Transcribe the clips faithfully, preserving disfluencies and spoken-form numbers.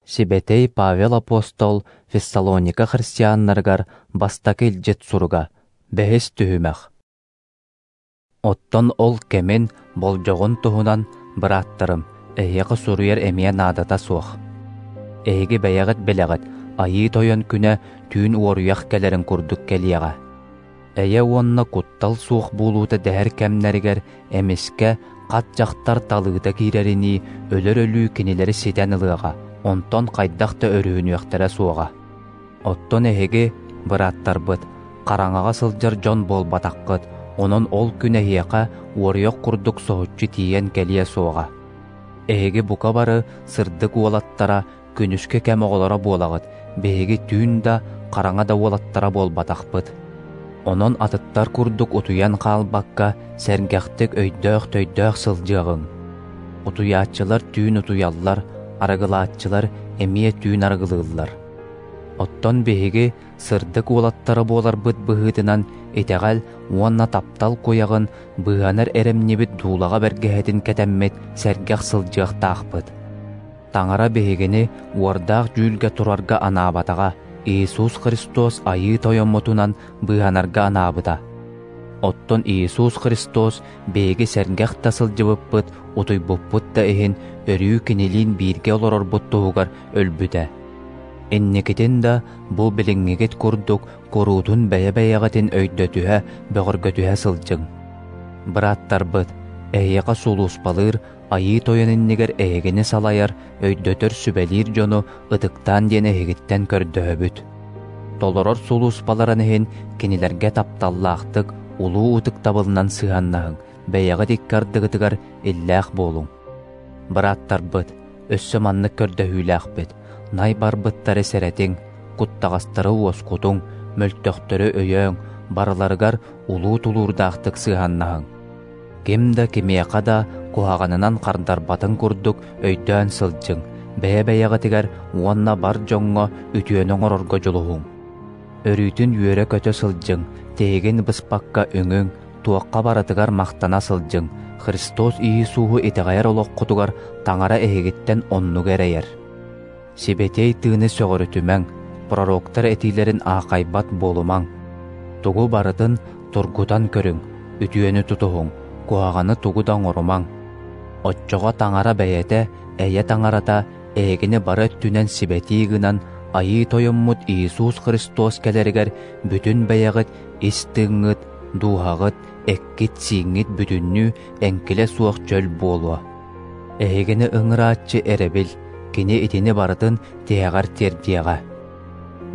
Сибэтэй Павел апостол Фессалоника христианнарыгар бастакы илдьит суруга, бэһис түһүмэх. Оттон ол кэмин, болдьоҕун туһунан, бырааттарым, эһиэхэ суруйар эмиэ наадата суох. Эһиги бэйэҕит билэҕит, Айыы Тойон күнэ түүн уоруйах кэлэрин курдук кэлиэҕэ. Эйэ уонна куттал суох буолуута дэһэр кэмнэригэр эмискэ хат дьахтар талыыта киирэринии өлөр өлүү кинилэри ситэн ылыаҕа, онтон хайдах да өрүһүнүөхтэрэ суоҕа. Оттон эһиги, бырааттарбыт, хараҥаҕа сылдьар дьон буолбатаххыт, онон ол күн эһиэхэ уоруйах курдук соһуччу тиийэн кэлиэ суоҕа. Эһиги бука бары сырдык уолаттара, күнүскү кэм оҕолоро буолаҕыт, биһиги түүн да, хараҥа да уолаттара буолбатахпыт. Онон атыттар курдук утуйан хаалбакка, сэргэхтик өйдөөх-төйдөөх сылдьыаҕыҥ. Утуйааччылар түүн утуйаллар, арыгылааччылар эмиэ түүн арыгылыыллар. Оттон биһиги сырдык уолаттара буоларбыт быһыытынан итэҕэл уонна таптал куйаҕын быыһанар эрэмньибит дуулаҕа бэргэһэтин кэтэммит сэргэх сылдьыахтаахпыт. Таҥара биһигини уордаах дьүүлгэ турарга анаабатаҕа, Иисус Христос Айыы Тойоммутунан быыһанарга анаабыта. Оттон Иисус Христос биһиги сэргэх да сылдьыбыппыт, утуйбуппут да иһин өрүү кинилиин бииргэ олорорбут туһугар өлбүтэ. Инникитин да бу билиҥҥигит курдук куруутун бэйэ-бэйэҕитин өйдөтүһэ, бөҕөргөтүһэ сылдьыҥ. Бырааттарбыт, эһиэхэ сулууспалыыр Айыы Тойон иннигэр эһигини салайар, өйдөтөр, сүбэлиир дьону ытыктаан диэн эһигиттэн көрдөһөбүт. Толорор сулууспаларын иһин кинилэргэ тапталлаахтык, улуу ытыктабылынан сыһыаннаһыҥ, бэйэҕит икки ардыгытыгар иллээх буолуҥ. Бырааттарбыт, өссө маннык көрдөһүүлээхпит, най барбыттары сэрэтиҥ, куттаҕастары уоскутуҥ, мөлтөхтөрү өйөөҥ, барыларыгар улуу тулуурдаахтык сыһыаннаһыҥ. Ким да кимиэхэ да куһаҕанынан хардарбатын курдук өйдөөн сылдьыҥ, бэйэ-бэйэҕитигэр уонна бар дьоҥҥо үтүөнү оҥорорго дьулуһуҥ. Өрүүтүн үөрэ-көтө сылдьыҥ, тиһигин быспакка үҥүҥ, туохха барытыгар махтана сылдьыҥ, Христос Иисуһу итэҕэйэр олоххутугар Таҥара эһигиттэн оннугу эрэйэр. Сибэтиэй тыыны сөҕүрүтүмэҥ, пророктар этиилэрин аахайбат буолумаҥ. Тугу барытын тургутан көрүҥ, үтүөнү тутуһуҥ, куһаҕаны тугу да оҥорумаҥ. Оччоҕо Таҥара бэйэтэ, эйэ Таҥарата, эһигини бары өттүнэн сибэтии гынан, Айыы Тойоммут Иисус Христос кэлэригэр бүтүн бэйэҕит ис тыыҥҥыт, дууһаҕыт, эккит-сииҥҥит бүтүннүү эҥкилэ суох чөл буолуо. Эһигини ыҥырааччы эрэбил, кини итини барытын тиһэҕэр тиэрдиэҕэ.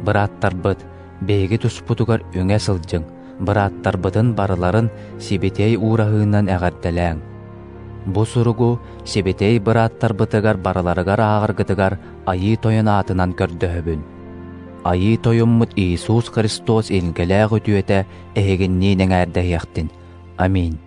Бырааттарбыт, биһиги туспутугар үҥэ сылдьыҥ, бырааттарбытын барыларын сибэтиэй уураһыынан эҕэрдэлээҥ. Бу суругу сибэтиэй бырааттарбытыгар барыларыгар ааҕаргытыгар Айыы Тойон аатынан көрдөһөбүн. Айыы Тойоммут Иисус Христос илгэлээх үтүөтэ эһигинниин эҥээрдэһиэхтин. Аминь.